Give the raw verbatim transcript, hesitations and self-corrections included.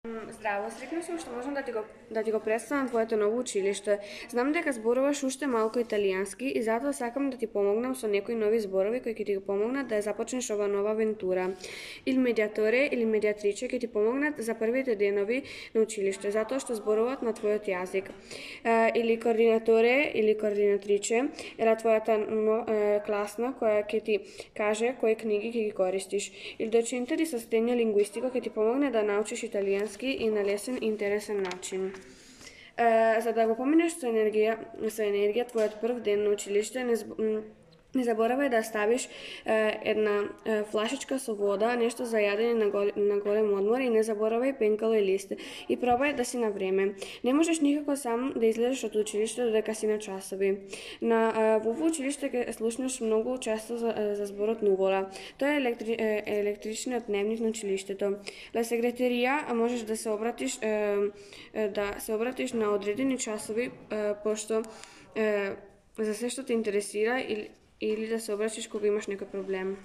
Здраво, среќна сум што можам да ти го да ти го представам твоето ново училиште. Знам дека зборуваш уште малку италијански и затоа сакам да ти помогнам со некои нови зборови кои ќе ти го помогнат да ја започнеш ова нова авентура. Il mediatore или медиатриче ќе ти помогнат за првите денови на училиште, затоа што зборуваат на твојот јазик. Или координаторе или координатриче е твојата класна која ќе ти каже кои книги ќе ги користиш. Il docente di sostegno linguistico ќе ти помогне да научиш италијански и на лесен и интересен начин. За да го поминеш со енергија, со енергија твојот прв ден на училиште, не Не заборавај да ставиш е, една е, флашичка со вода, нешто за јадење на, гол, на голем одмор и не заборавај пенкало и лист. И пробај да си на време. Не можеш никако сам да излезеш од училиште додека си на часови. На е, во ово училиште ќе слушнеш многу често за, за зборот нувола. Тоа е електри, е, електричниот дневник на училиштето. На секретарија можеш да се обратиш е, е, да се обратиш на одредени часови е, пошто е, за се што те интересира или или да се обрачиш кога имаш некој проблем.